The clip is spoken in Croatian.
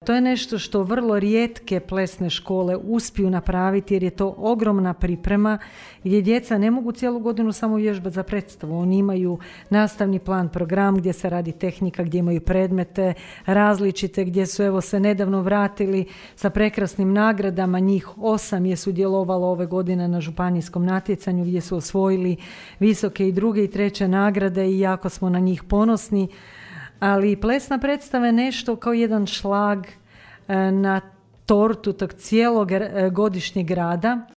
To je nešto što vrlo rijetke plesne škole uspiju napraviti jer je to ogromna priprema gdje djeca ne mogu cijelu godinu samo vježbati za predstavu. Oni imaju nastavni plan, program gdje se radi tehnika, gdje imaju predmete različite, gdje su se nedavno vratili sa prekrasnim nagradama. Njih 8 je sudjelovalo ove godine na županijskom natjecanju gdje su osvojili visoke i druge i treće nagrade i jako smo na njih ponosni. Ali plesna predstava je nešto kao jedan šlag na tortu tog cijelog godišnjeg rada